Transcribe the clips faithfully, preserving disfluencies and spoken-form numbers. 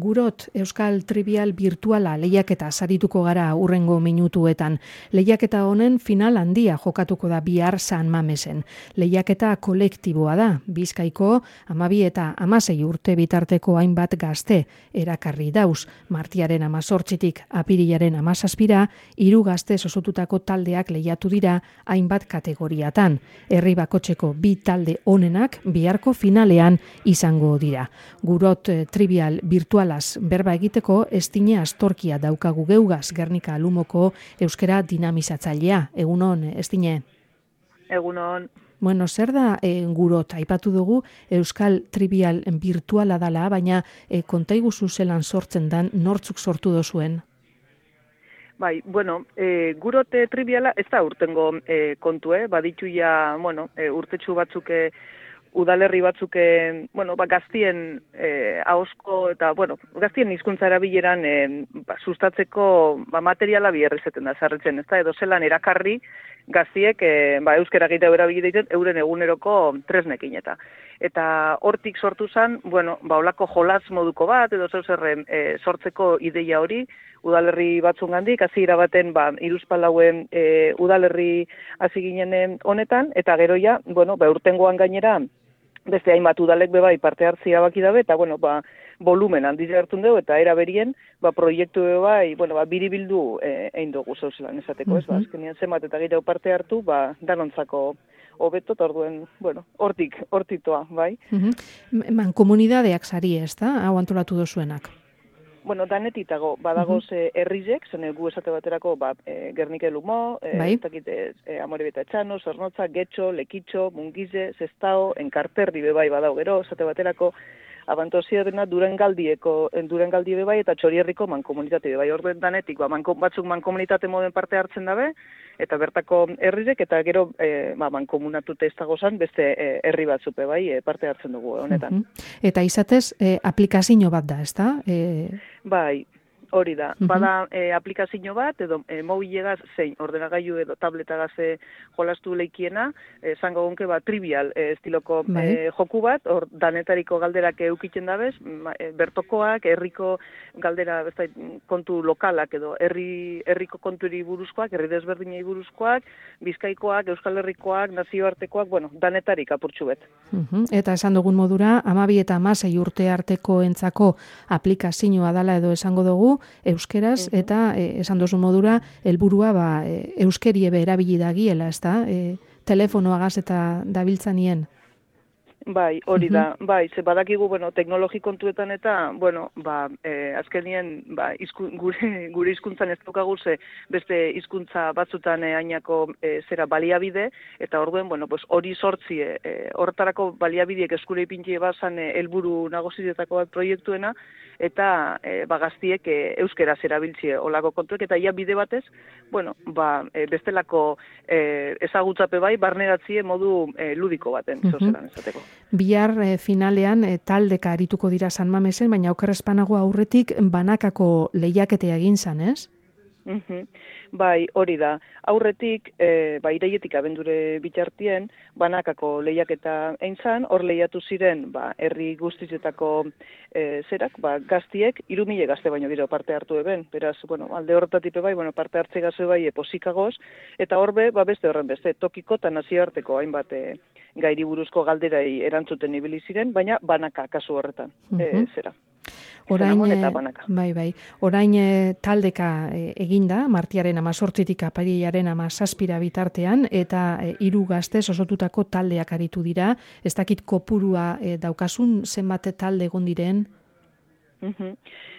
Gurot, Euskal Trivial Virtuala lehiaketa sarituko gara hurrengo minutuetan. Lehiaketa honen final handia jokatuko da bihar San Mamesen. Lehiaketa kolektiboa da, Bizkaiko hamabi eta hamasei urte bitarteko hainbat gazte erakarri dauz. Martiaren hamazortzitik apirilaren hamazazpira, hiru gazte osotutako taldeak lehiatu dira hainbat kategoriatan. Herri bakotzeko bi talde onenak biharko finalean izango dira. Gurot Trivial Virtualaz berba egiteko Estine Astorkia daukagu geugaz, Gernika Lumoko euskera dinamizatzailea. Egunon, Estine? Egunon. Bueno, zer da e, Gurot? Aipatu dugu Euskal Trivial Virtuala dala, baina e, kontaiguzu zelan sortzen dan, nortzuk sortu dozuen? Bai, bueno, e, Gurot e, Triviala ez da urtengo e, kontue, baditu ja, bueno, e, urtetxu batzuk e, udalerri batzuk, bueno, ba, gaztien eh, ahosko eta, bueno, gaztien hizkuntza erabileran eh, ba, sustatzeko ba, materiala biherrizeten da, zarretzen, ez da, edo zelan erakarri gaztiek eh, ba, euskera egite erabile euren eguneroko tresnekin eta. Eta hortik sortu zen, bueno, ba, olako jolatz moduko bat, edo zeu zerren eh, sortzeko ideia hori, udalerri batzungandik, hasiera baten ba, Hiruzpalauen e, udalerri hasi ginen honetan, eta gero ja, bueno, ba, urtengoan gainera, beste hainbat udalek bebai parte hartzia baki dabe, eta bueno, ba, volumen handiz hartun dugu, eta era berien, ba, proiektu bebai, bueno, ba, biribildu e, egin dugu zauzelan esateko, ez, ba, azkenean zenbat eta gehiago parte hartu, ba, danontzako hobeto, eta orduen, bueno, hortik, hortitoa, bai. Uh-huh. Man, komunidadeak sari ez da, hau antolatu dozuenak? Bueno, danetitago, badagoz uh-huh. herrizek, zen gu esate baterako, ba, e, Gernike Lumo, e, bai. Takite, e, Amorebeta Etxano, Zornotza, Getxo, Lekitxo, Mungize, Zestao, Enkarterri bebai badau gero, esate baterako, Abantozia dena Durangaldieko, Durangaldi bebai eta Txorierriko mankomunitate bebai. Orduen danetik, ba, manko, batzuk mankomunitate moden parte hartzen dabe, eta bertako herrirek, eta gero e, ba, mankomunatute ez dago zan, beste e, herri batzuk bebai e, parte hartzen dugu honetan. Uh-huh. Eta izatez, e, aplikazio bat da, ez da? E... Bai, hori da. Uh-huh. Bada e, aplikazio bat, edo e, mobilegaz, zein ordenagailu edo tabletagaz e, jolastu leikiena, zango e, gonke ba, trivial e, estiloko e, joku bat, hor danetariko galderak eukitzen dabez, e, bertokoak, herriko galdera, besta, kontu lokalak edo herri herriko konturi buruzkoak, herri desberdinei buruzkoak, Bizkaikoak, Euskal Herrikoak, nazioartekoak, bueno, danetarik apurtxu bet. Uh-huh. Eta esan dugun modura, hamabi eta hamasei urte arteko entzako aplikazioa dala edo esango dugu, euskeraz, uh-huh. eta e, esan dozu modura, helburua ba, e, euskerie be erabili dagiela, ez da? E, telefonoagaz eta dabiltzanien. Bai, hori da, uh-huh. bai, ze badakigu, bueno, teknologi kontuetan eta, bueno, ba, e, azkenien, ba, izku, gure, gure hizkuntzan ez daukagu ze beste hizkuntza batzutan e, ainako e, zera baliabide, eta orduen, bueno, pues hori sortzi, e, horretarako baliabideek eskure ipintie bazan e, helburu nagusietako bat proiektuena, eta e, ba, gaztiek e, euskeraz erabiltzie olako kontuek, eta ia bide batez, bueno, ba, e, bestelako e, ezagutzape bai, barneratzie modu e, ludiko baten, uh-huh. zozelan esateko. Bihar e, finalean e, taldeka arituko dira San Mamesen, baina okerrezpanago aurretik banakako lehiaketea egin zan, ez? Uh-huh. Bai, hori da. Aurretik, e, ba, iraietik abendure bitartien, banakako lehiaketa egin zan, hor lehiatu ziren, ba, herri guztizetako e, zerak, ba, gaztiek, irumile gazte baino gero parte hartu eben, beraz, bueno, alde horretatik bai, bueno, parte hartze gazte bai, eposikagoz, eta horbe, ba, beste horren beste, tokiko eta nazioarteko hainbat e, gairi buruzko galderai erantzuten ibili ziren, baina banaka kasu horretan, uh-huh. e, zera. Orain, bai, bai. Orain e, taldeka e, eginda, martiaren amazortzitik apirilaren amazazpira bitartean, eta e, hiru gaztez osotutako taldeak aritu dira. Ez dakit kopurua e, daukasun zenbat talde egon diren? Uh-huh.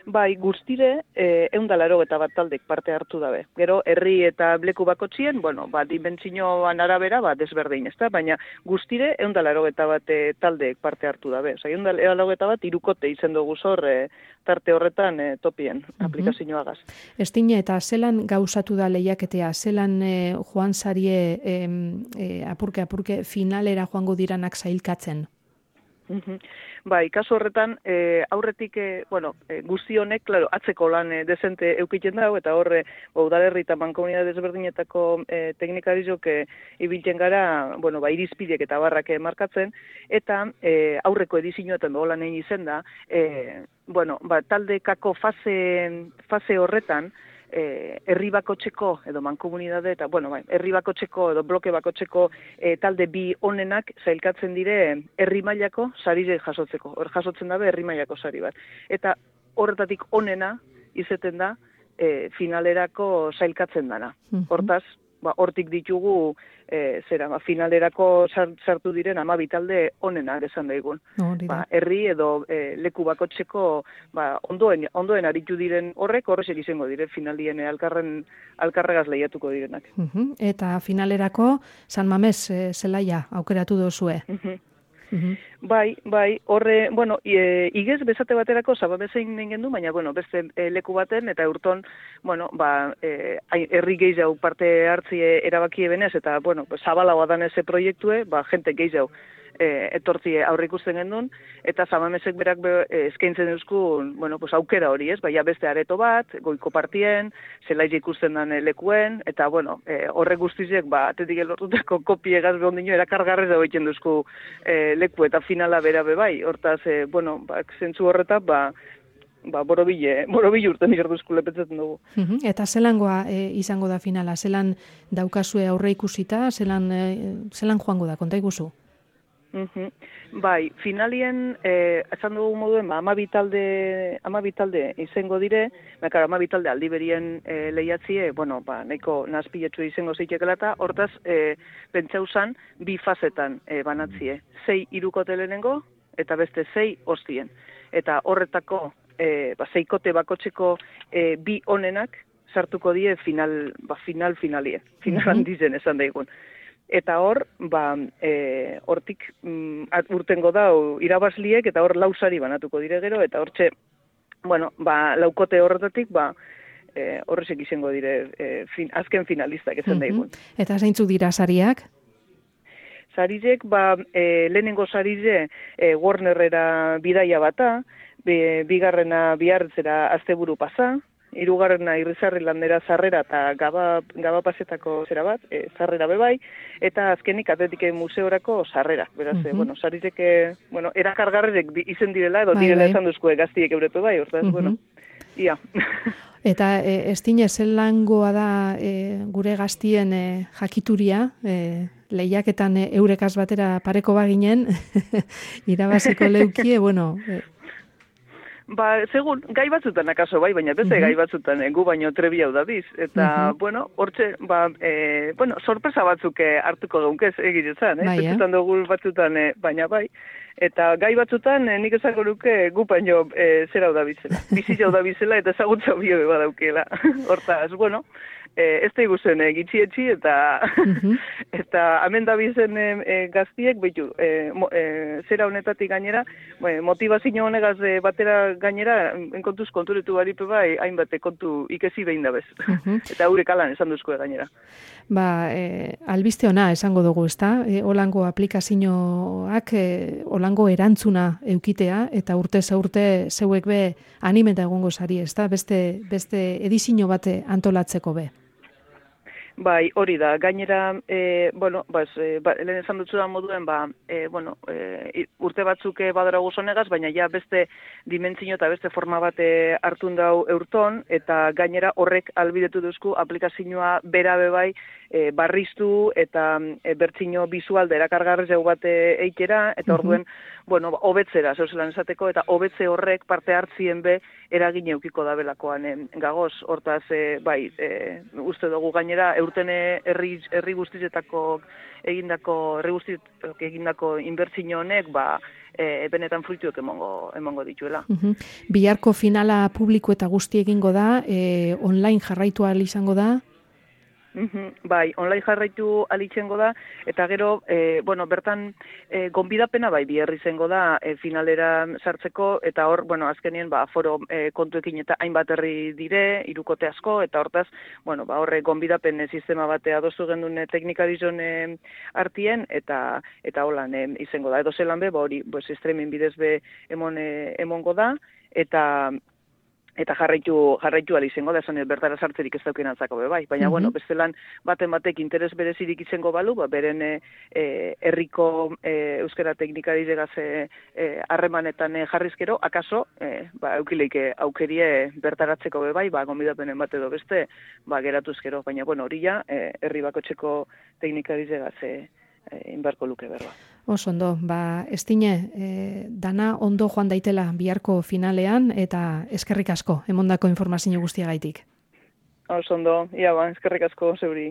Bai, guztire, eh, eundalaro eta bat taldek parte hartu dabe. Gero, herri eta bleku bakotzien, bueno, ba, dimentsinoan arabera, ba, desberdein, ez da? Baina guztire, eundalaro eta bat e, taldek parte hartu dabe. Osa, eundalaro eta bat irukote izen dugu zor e, tarte horretan e, topien uh-huh. aplikazioagaz. Estine, eta zelan gauzatu da lehiaketea, zelan e, joan zarie e, e, apurke-apurke finalera joango diranak zailkatzen? Bai, kasu horretan, e, aurretik, e, bueno, e, guzti honek, claro, atzeko lan e, dezente eukiten dago, eta horre, ba, udalerri eta mankomunidade desberdinetako e, teknikarizok e, ibiltzen gara, bueno, ba, irizpideak eta barrak e, markatzen, eta e, aurreko edizioetan begolan egin izen da, e, bueno, ba, taldekako fase, fase horretan, Eh, herri bakotxeko edo mankomunidade eta, bueno, bai, herri bakotxeko edo bloke bakotxeko eh, talde bi onenak zailkatzen dire herri mailako sarire jasotzeko. Hor jasotzen dabe herri mailako sari bat. Eta horretatik onena izeten da eh, finalerako zailkatzen dana. Hortaz, ba, hortik ditugu e, zera, ba, finalerako sartu diren hamabi talde onenak esan daigun. Ba, herri edo e, leku bakotxeko ba, ondoen, ondoen aritu diren horrek horrezek izango dire finalien alkarren, alkarregaz lehiatuko direnak. Uh-huh. Eta finalerako San Mames e, zelaia aukeratu dozue. Uh-huh. Uh-huh. Bai, bai, horre, bueno, e, igez bezate baterako zababezein nengen du, baina, bueno, beste e, leku baten, eta urton, bueno, ba, e, herri gehiago parte hartzie erabakie benez, eta, bueno, zabalagoa dan eze proiektue, ba, jente gehiago e, etortzie aurre ikusten gendun, eta zabamezek berak be, e, eskaintzen euskun, bueno, pues, aukera hori, ez, baina beste areto bat, goiko partien, zelaize ikusten dan lekuen, eta, bueno, e, horre guztizek, ba, atetik elortutako kopie egaz behon dino, erakargarrez dago egiten duzku e, leku, eta finala bera bebai, hortaz, e, bueno, ba, zentzu horretak, ba, ba, borobile, borobile urten ikarduzku lepetzaten dugu. Uh-huh. Eta zelangoa e, izango da finala? Zelan daukazue aurre ikusita? Zelan, e, zelan joango da? Konta iguzu? Uh-huh. Bai, finalien, eh, esan dugu moduen, ba, amabi talde, amabi talde izango dire, bakar, amabi talde aldiberien eh, lehiatzie, bueno, ba, nahiko nazpiletsu izango zeitekela eta, hortaz, eh, pentsausan, bi fasetan eh, banatzie. Sei irukote lehenengo, eta beste sei ostien. Eta horretako, eh, ba, seikote bakotxeko eh, bi onenak, sartuko die final, ba, final finalie. Final handizen esan daigun. Eta hor, ba, e, hortik mm, urtengo da irabazliek, eta hor lausari banatuko dire gero, eta hortxe, bueno, ba, laukote horretatik, ba, e, horrezek izango dire e, fin, azken finalistak esan daigun. Eta zeintzu dira sariak? Sarizek, ba, e, lehenengo sarize e, Warnerrera bidaia bata, be, bigarrena bihartzera asteburu pasa, hirugarrena irrizarri landera zarrera eta gaba, gaba pasetako zera bat, e, zarrera bebai, eta azkenik atletike museorako zarrera. Beraz, uh-huh. e, bueno, sarizeke, bueno, erakargarrek izen direla, edo bai, direla bai. Esan duzkue gaztiek eurepe bai, hortaz, uh-huh. bueno, ia. Eta e, ez dine, zelangoa da e, gure gaztien e, jakituria, e, lehiaketan e, eurekaz batera pareko baginen, irabaziko leukie, bueno... E, Ba, segun, gai batzutan akaso bai, baina beste uh-huh. gai batzutan gu baino trebi hau da biz. Eta, uh-huh. bueno, hortxe, ba, e, bueno, sorpresa batzuk hartuko gaunkez egiretzan, eh? Bai, batzutan dugu batzutan, e, baina bai. Eta gai batzutan, e, nik ezako nuke gu baino e, zera hau da bizela. Bizi hau da bizela eta ezagutza bio beba daukela. Hortaz, bueno, e, ez da iguzen e, gitxietxi eta uh-huh. eta hemen da bizen e, e, gaztiek, behitu, e, e, zera honetatik gainera, e, motivazio honegaz e, batera gainera, enkontuz konturetu baripe bai, hainbate kontu ikesi behin da bez. Uh-huh. Eta haurek alan esan duzkue gainera. Ba, e, albiste ona esango dugu, ezta? E, olango aplikazioak, e, olango erantzuna eukitea, eta urte zaurte zeuek be animeta egongo zari, ezta? Beste, beste edizio bate antolatzeko be. Bai, hori da, gainera, e, bueno, bas, e, ba, lehen esan dutzu da moduen, ba, e, bueno, e, urte batzuk badara guzonegaz, baina ja beste dimentsio eta beste forma bate hartun dau eurton, eta gainera horrek albidetu duzku aplikazioa bera bebai e, barriztu eta e, bertzino bizual derakargarrez jau bate eitera, eta orduen, uh-huh. bueno, hobetzera, zeuzelan esateko, eta hobetze horrek parte hartzien be eragin eukiko da belakoan e, gagoz, hortaz, e, bai, e, uste dugu gainera, urten herri herri guztietako egindako herri guztiek egindako inbertsio honek ba e, benetan fruituak emango emango dituela. Uh-huh. Biharko finala publiko eta guzti egingo da, e, online jarraitu ahal izango da. Bai, online jarraitu alitzengo da, eta gero, e, bueno, bertan e, gonbidapena bai biherri zengo da e, finalera sartzeko, eta hor, bueno, azkenien, ba, foro e, kontuekin eta hainbat herri dire, hirukote asko, eta hortaz, bueno, ba, horre gonbidapen e, sistema batea dozu gendun e, teknikadizon e, artien, eta eta holan e, izango da. Edo zelan be, ba, hori, pues, streaming bidez be emon, e, emongo da, eta eta jarraitu jarraitu ali izango da, esan bertara sartzerik ez dauken atzako be bai, baina, mm-hmm. bueno, bestelan baten batek interes berezirik izango balu, ba, beren e, herriko e, euskara teknika diregaz harremanetan e, e, jarrizkero, akaso, e, ba, eukileike aukerie bertaratzeko be bai, ba, gonbidapenen bat edo beste, ba, geratuzkero, baina, bueno, hori ja, e, herri bakotxeko teknika diregaz e, inbarko luke berba. Oso ondo, ba, estine, e, dana ondo joan daitela biharko finalean, eta eskerrik asko, emondako informazio guztiagaitik. Oso ondo, ia ba, eskerrik asko zeuri.